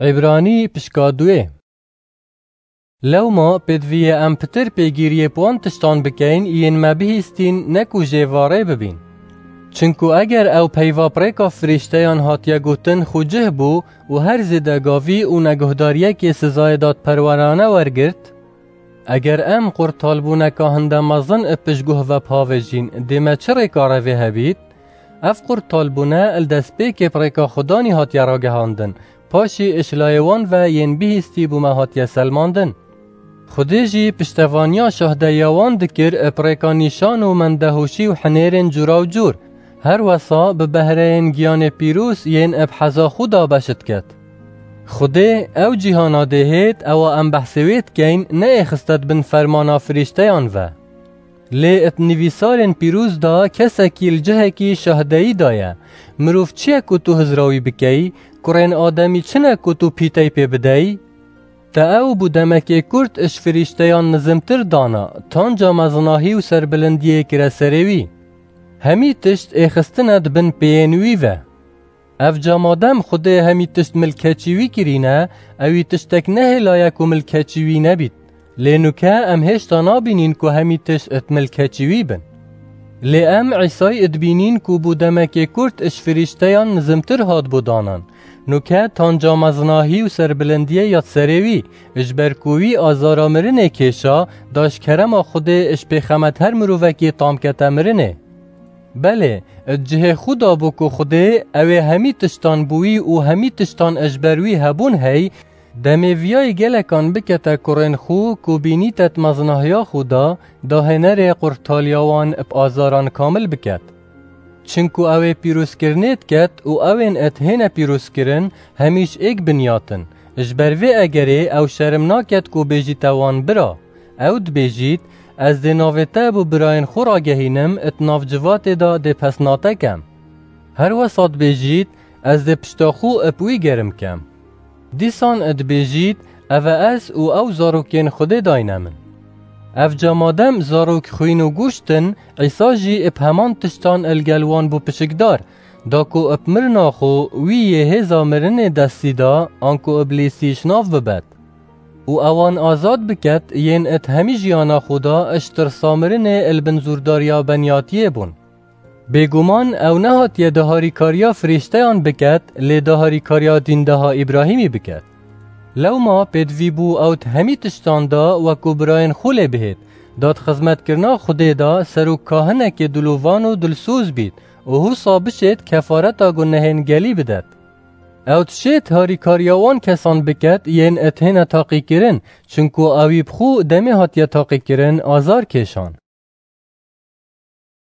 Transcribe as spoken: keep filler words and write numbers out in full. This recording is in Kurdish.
Îbranî pişka duê. Lewma pêdivî ye em pitir pêgîriyê bi wan tiştan bikeyn yên me bihîstîn, ne ku jê varê bibîn. Çinku eger ew peyva bi rêka firîşteyan hatiye gotin xwe cih bû û her zêde gavî û neguhdariyekê sizayê dadperwerane wergirt, eger em qurtalbûneka hinde mezin ib piştguh ve bhavêjîn, dê me çi rêka revê hebît? Ev qurtalbûne li destpêkê bi rêka Xudanî hatiye ragihandin, paşî ji layê wan ve yên bihîstî bo me hatiye selmandin. Xwedê jî piştevaniya şahdeyiya wan dikir bi rêka nîşan û mendehoşî û hinêrên cûra û cûr, her wesa bi behreyên giyanê pîroz yên bi heza xwe de beşt ket. Xwedê ew cîhana dê hêt, ewa em behsê wê dikeyn, neêxiste di bin fermana firîşteyan ve. Lê di nivîsarên pîroz de kesekî li cihekî şahdeyî daye. Mirov çi ye ku tu hizra wî bikeyî? Kurên ademî çi ne ku tu pîtey pê bideyî? Te ew bo demekê kurt ji firîşteyan nizimtir dana, tanca mezinahî û serbilindiyê kire serê wî. Hemî tişt êxistine di bin pêyên wî ve. Ev ca madem Xwedê hemî tişt milkeçî wî kirîne, ewî tiştek nehêlaye ku milkeçî wî nebît. Lê nuke em hêşta nabînîn ku hemî tişt di milkeçî wî bin. Lê em Îsayî dibînîn ku bo demekê kurt ji firîşteyan nizimtir hat bo danan. Nuke tanca mezinahî û serbilindiyê ya serê wî, ji ber ku wî azara mirinê kêşa, da ji kerema Xwedê ji pêxemet her mirovekî tam kete mirinê. Belê, di cihê xwe de bû ku Xwedê ew ê hemî tiştan bi wî û hemî tiştan ji ber wî hebûn hey, demê viyayî gelekan bikete kurên xwe ku bînîte di mezinahiya xwe de, dahênerê qurtaliya wan bi azaran kamil biket. Çinku ew ê pîrozkirinê diket û ew ên di hêne pîrozkirin hemî ji êk binyatin. Ji ber vê egerê ew şerm naket ku bêjîte wan bira. Ew dibêjît, ez dê navê te bo birayên xwe ragehînim, di nav civatê de dê pesna te kem. Her wesa dibêjît, ez dê pişta xwe bi wî germ kem. Dîsan dibêjît, ev e ez û ew zarokên Xwedê dayne min. Ev ca madem zarok xwîn û goşt in, Îsa jî bi heman tiştan li gel wan bû pişikdar, da ku bi mirina xwe wî yê hêza mirinê destî da, anku Îblîsî ji nav bibet. Û ewan azad biket, yên di hemî jiyana xwe de ji tirsa mirinê li bin zûrdariya beniyatiyê bûn. Bêguman ew nehatiye di harîkariya firîşteyan biket, lê di harîkariya dîndeha Îbrahîmî biket. Lewma pêdivî bû ew di hemî tiştan de wekû birayên xwe lê bihêt, da di xizmetkirina Xwedê de serok kahinekê dilovan û dilsoz bît û husa bişêt kefareta gunehên gelî bidet. Ew dişêt harîkariya wan kesan biket yên di hêne taqîkirin, çinku ewî bi xwe demê hatiye taqîkirin azar kêşan.